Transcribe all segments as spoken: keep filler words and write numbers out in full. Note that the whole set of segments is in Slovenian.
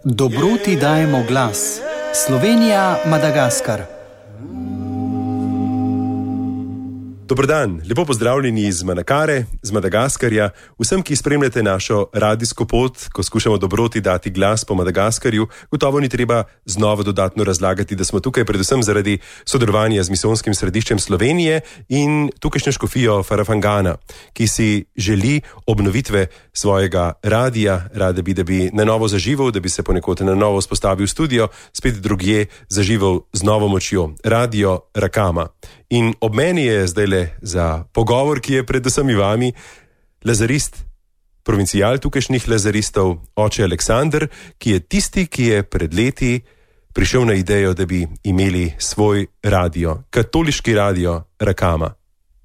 Dobroti dajemo glas. Slovenija, Madagaskar. Dober dan, lepo pozdravljeni iz Manakare, z Madagaskarja. Vsem, ki spremljate našo radijsko pot, ko skušamo dobroti dati glas po Madagaskarju, gotovo ni treba znova dodatno razlagati, da smo tukaj predvsem zaradi sodelovanja z misijonskim središčem Slovenije in tukajšnjo škofijo Farafangana, ki si želi obnovitve svojega radija, rade bi, da bi na novo zaživel, da bi se ponekod na novo vzpostavil studio, spet drugje zaživel z novo močjo. Radio Rakama. In ob meni je zdajle za pogovor, ki je pred vsemi vami, lazarist, provincijal tukajšnjih lazaristov, oče Aleksander, ki je tisti, ki je pred leti prišel na idejo, da bi imeli svoj radio, katoliški radio Rakama.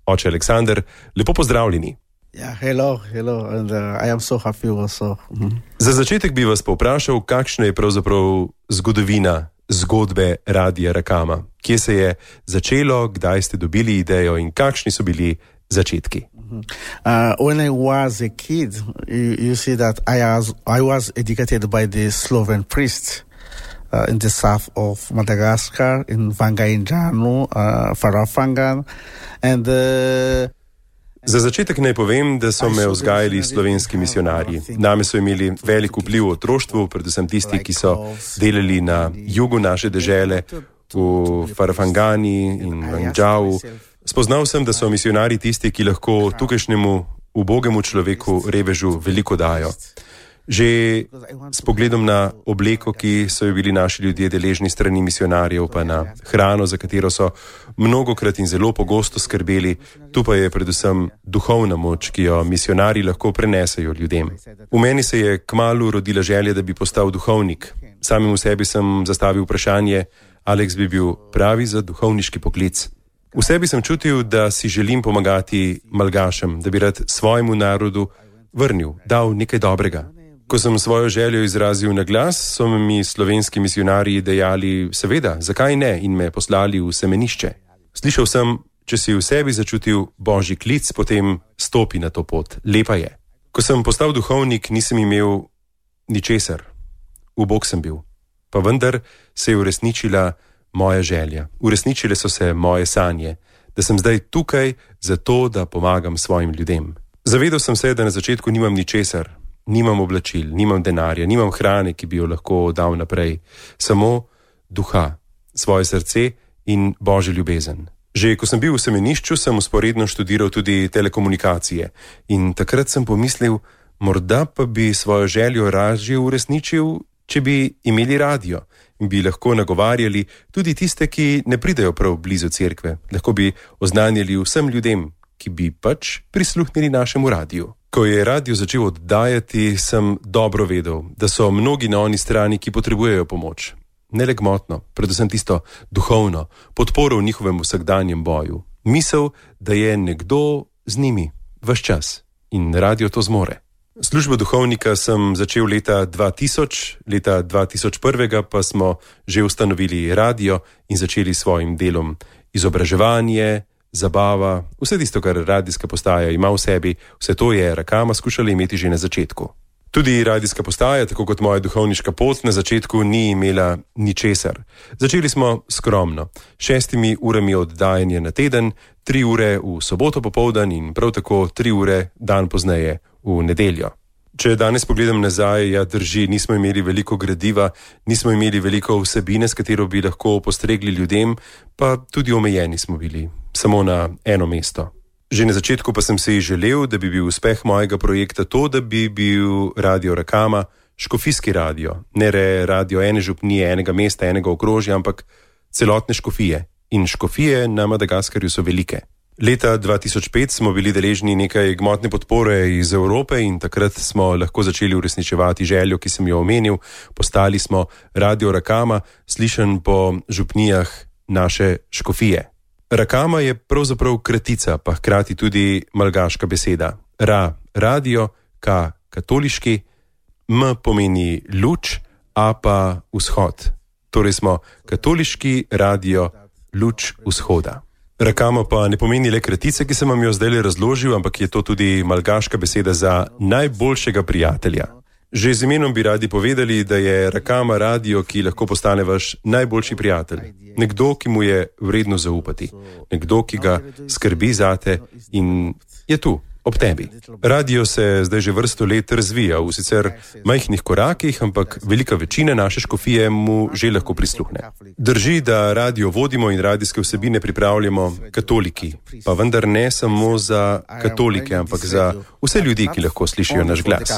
Oče Aleksander, lepo pozdravljeni. Yeah, hello, hello, and uh, I am so happy also. Mm-hmm. Za začetek bi vas povprašal, kakšna je pravzaprav zgodovina zgodbe Radia Rakama. Kje se je začelo, kdaj ste dobili idejo in kakšni so bili začetki? Mm-hmm. Uh, when I was a kid, you, you see that I was, I was educated by the Sloven priests uh, in the south of Madagascar, in Vangainjanu, uh, Farafangan, and uh, Za začetek naj povem, da so me vzgajali slovenski misionarji. Name so imeli velik vpliv v otroštvu, predvsem tisti, ki so delali na jugu naše dežele, v Farafangani in Vangainjavu. Spoznal sem, da so misionarji tisti, ki lahko tukajšnjemu ubogemu človeku, revežu, veliko dajo. Že s pogledom na obleko, ki so jo bili naši ljudje deležni strani misionarjev, pa na hrano, za katero so mnogokrat in zelo pogosto skrbeli, tu pa je predvsem duhovna moč, ki jo misionarji lahko prenesejo ljudem. V meni se je kmalu rodila želja, da bi postal duhovnik. Samim v sebi sem zastavil vprašanje, Aleks bi bil pravi za duhovniški poklic. V sebi sem čutil, da si želim pomagati malgašem, da bi rad svojemu narodu vrnil, dal nekaj dobrega. Ko sem svojo željo izrazil na glas, so mi slovenski misionarji dejali, seveda, zakaj ne, in me poslali v semenišče. Slišal sem, če si v sebi začutil božji klic, potem stopi na to pot. Lepa je. Ko sem postal duhovnik, nisem imel ničesar. Ubog sem bil. Pa vendar se je uresničila moja želja. Uresničile so se moje sanje, da sem zdaj tukaj zato, da pomagam svojim ljudem. Zavedal sem se, da na začetku nimam ničesar. Nimam oblačil, nimam denarja, nimam hrane, ki bi jo lahko dal naprej. Samo duha, svoje srce in božjo ljubezen. Že ko sem bil v semenišču, sem usporedno študiral tudi telekomunikacije. In takrat sem pomislil, morda pa bi svojo željo ražje uresničil, če bi imeli radio in bi lahko nagovarjali tudi tiste, ki ne pridejo prav blizu cerkve. Lahko bi oznanjali vsem ljudem, ki bi pač prisluhnili našemu radiju. Ko je radio začel oddajati, sem dobro vedel, da so mnogi na oni strani, ki potrebujejo pomoč. Ne le gmotno, predvsem tisto duhovno, podporo v njihovem vsakdanjem boju. Misel, da je nekdo z njimi, ves čas. In radio to zmore. Službo duhovnika sem začel leta dva tisoč, leta dva tisoč ena pa smo že ustanovili radio in začeli s svojim delom izobraževanje, zabava, vse tisto, kar radijska postaja ima v sebi, vse to je Rakama skušala imeti že na začetku. Tudi radijska postaja, tako kot moja duhovniška pot, na začetku ni imela ničesar. Začeli smo skromno, šestimi urami oddajanja na teden, tri ure v soboto popoldan in prav tako tri ure dan pozneje v nedeljo. Če danes pogledam nazaj, ja drži, nismo imeli veliko gradiva, nismo imeli veliko vsebine, s katero bi lahko postregli ljudem, pa tudi omejeni smo bili. Samo na eno mesto. Že na začetku pa sem si želel, da bi bil uspeh mojega projekta to, da bi bil Radio Rakama škofijski radio. Ne re radio ene župnije, enega mesta, enega okrožja, ampak celotne škofije. In škofije na Madagaskarju so velike. Leta dva tisoč pet smo bili deležni nekaj gmotne podpore iz Evrope in takrat smo lahko začeli uresničevati željo, ki sem jo omenil. Postali smo Radio Rakama, slišan po župnijah naše škofije. Rakama je pravzaprav kratica, pa hkrati tudi malgaška beseda. Ra, radio, ka, katoliški, m pomeni luč, a pa vzhod. Torej smo katoliški radio, luč vzhoda. Rakama pa ne pomeni le kratice, ki sem vam jo zdaj razložil, ampak je to tudi malgaška beseda za najboljšega prijatelja. Že z imenom bi radi povedali, da je Rakama radio, ki lahko postane vaš najboljši prijatelj. Nekdo, ki mu je vredno zaupati. Nekdo, ki ga skrbi zate in je tu, ob tebi. Radio se zdaj že vrsto let razvija v sicer majhnih korakih, ampak velika večina naše škofije mu že lahko prisluhne. Drži, da radio vodimo in radijske vsebine pripravljamo katoliki, pa vendar ne samo za katolike, ampak za vse ljudi, ki lahko slišijo naš glas.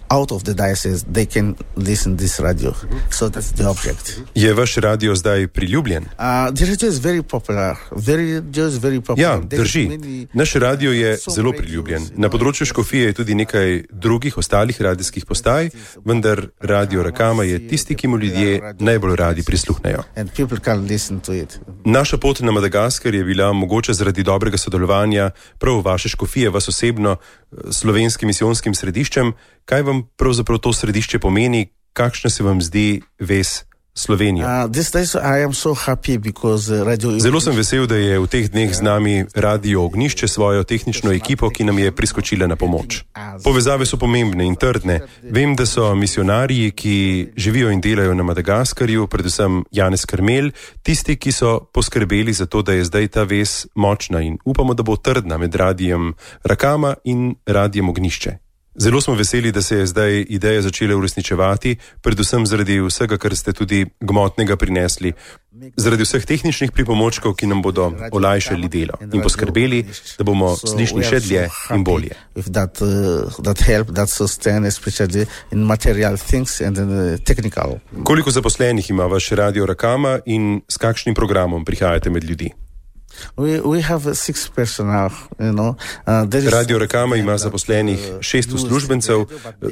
Out of the diocese, they can listen this radio. So that's the object. Je vaš radio zdaj priljubljen? Uh, the radio is very popular. Very, just very popular. Ja, drži. Naš radio je zelo priljubljen. Na področju škofije je tudi nekaj drugih ostalih radijskih postaj, vendar radio Rakama je tisti, ki mu ljudje najbolj radi prisluhnejo. And people can listen to it. Naša pot na Madagaskar je bila mogoče zaradi dobrega sodelovanja prav vaše škofije, vas osebno, s slovenskim misijonskim središčem. Kaj vam pravzaprav to središče pomeni, kakšna se vam zdi vez Slovenija? Uh, so radio... Zelo sem vesel, da je v teh dneh z nami Radio Ognjišče svojo tehnično ekipo, ki nam je priskočila na pomoč. Povezave so pomembne in trdne. Vem, da so misionarji, ki živijo in delajo na Madagaskarju, predvsem Janez Karmel, tisti, ki so poskrbeli za to, da je zdaj ta vez močna in upamo, da bo trdna med radijem Rakama in radijem Ognjišče. Zelo smo veseli, da se je zdaj ideja začela uresničevati, predvsem zaradi vsega, kar ste tudi gmotnega prinesli, zaradi vseh tehničnih pripomočkov, ki nam bodo olajšali delo in poskrbeli, da bomo slišali še dlje in bolje. That, uh, that help, that sustain, uh, Koliko zaposlenih ima vaš radio Rakama in s kakšnim programom prihajate med ljudi? We, we have six personnel, you know. Uh, Radio Rakama ima zaposlenih šest uslužbencev.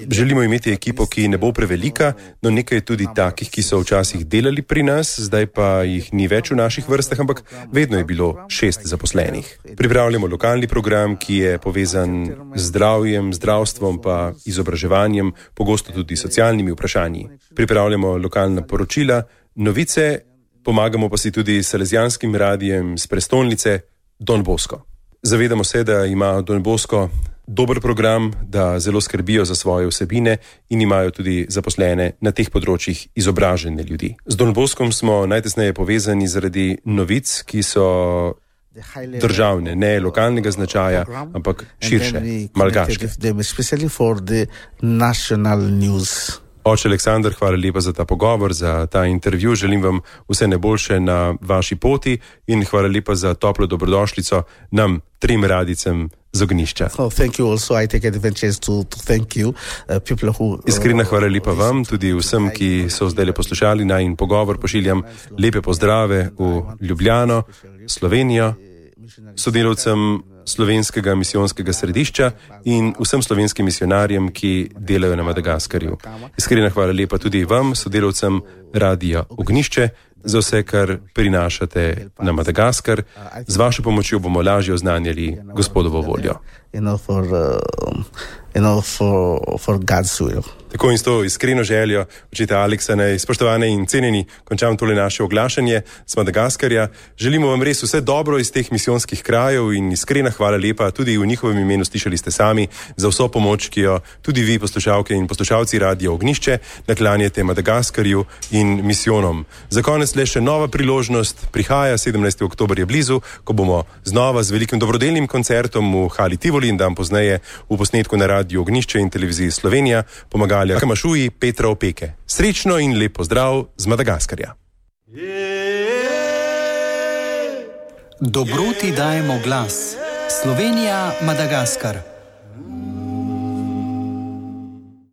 Želimo imeti ekipo, ki ne bo prevelika, no nekaj je tudi takih, ki so včasih delali pri nas, zdaj pa jih ni več v naših vrstah, ampak vedno je bilo šest zaposlenih. Pripravljamo lokalni program, ki je povezan z zdravjem, zdravstvom pa izobraževanjem, pogosto tudi socialnimi vprašanji. Pripravljamo lokalna poročila, novice, pomagamo pa si tudi s salezijanskim radijem z prestolnice Don Bosco. Zavedamo se, da ima Don Bosco dober program, da zelo skrbijo za svoje vsebine in imajo tudi zaposlene na teh področjih izobražene ljudi. Z Don Boscom smo najtesneje povezani zaradi novic, ki so državne, ne lokalnega značaja, ampak širše, malgaške. Oče Aleksandar, hvala lepa za ta pogovor, za ta intervju. Želim vam vse najboljše na vaši poti in hvala lepa za toplo dobrodošlico nam, trim radicem z Ognjišča. Iskrena hvala lepa vam, tudi vsem, ki so zdaj poslušali najin pogovor. Pošiljam lepe pozdrave v Ljubljano, Slovenijo, sodelavcem slovenskega misijonskega središča in vsem slovenskim misionarjem, ki delajo na Madagaskarju. Iskrena hvala lepa tudi vam, sodelavcem Radia Ognjišče, za vse, kar prinašate na Madagaskar. Z vašo pomočjo bomo lažje oznanjali Gospodovo voljo. Tako in s to iskreno željo, očeta Aleksa, naj spoštovane in cenjeni, končam tole naše oglašanje z Madagaskarja. Želimo vam res vse dobro iz teh misijonskih krajev in iskrena hvala lepa tudi v njihovem imenu, slišali ste sami, za vso pomoč, ki jo tudi vi, poslušalke in poslušalci Radia Ognjišče, naklanjate Madagaskarju in misijonom. Za konec le še nova priložnost, prihaja sedemnajstega oktobra je blizu, ko bomo znova z velikim dobrodelnim koncertom v Hali Tivoli in dan pozneje v posnetku na Radio Ognjišče in televiziji Slovenija pomagali Kamašuji Petra Opeke. Srečno in lep pozdrav z Madagaskarja. Dobroti dajemo glas. Slovenija, Madagaskar.